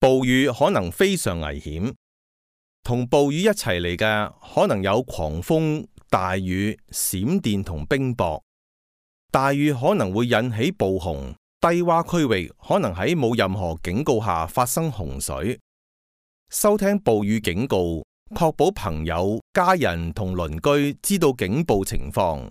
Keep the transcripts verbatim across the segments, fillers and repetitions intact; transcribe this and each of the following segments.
暴雨可能非常危險，同暴雨一齊嚟嘅可能有狂風、大雨、閃電同冰雹。大雨可能會引起暴洪，低洼區域可能喺冇任何警告下發生洪水。收聽暴雨警告，確保朋友、家人同鄰居知道警報情況。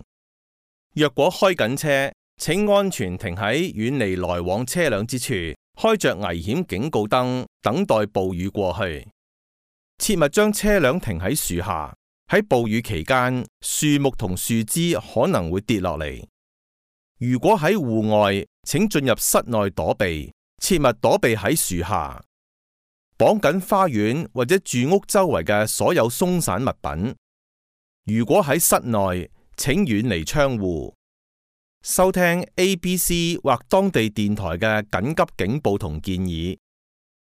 若果開緊車，請安全停喺遠離來往車輛之處，開着危險警告燈，等待暴雨過去。切勿將車輛停喺樹下，喺暴雨期間，樹木同樹枝可能會跌落嚟。如果喺戶外，請進入室內躲避，切勿躲避喺樹下。綁緊花園或者住屋周圍嘅所有鬆散物品。如果喺室內，請遠離窗戶。收聽 A B C 或當地電台嘅緊急警報同建議。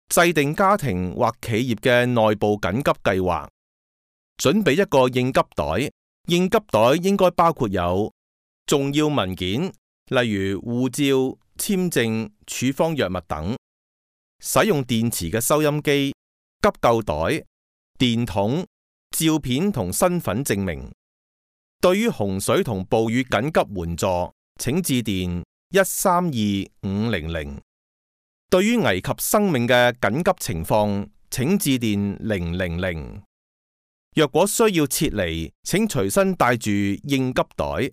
制定家庭或企業嘅內部緊急計劃。準備一個應急袋。應急袋應該包括有重要文件，例如護照、簽證、處方藥物等。使用電池嘅收音機、急救袋、電筒、照片同身份證明。對於洪水同暴雨緊急援助，請致電一三二五零零。對於危及生命嘅緊急情況，請致電零零零。若果需要撤離，請隨身帶住應急袋。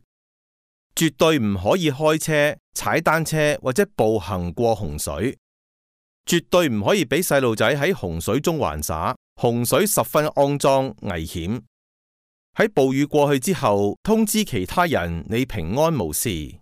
絕對唔可以開車、踩單車或者步行過洪水。絕對唔可以俾細路仔喺洪水中玩耍，洪水十分骯髒危險。喺暴雨過去之後，通知其他人你平安無事。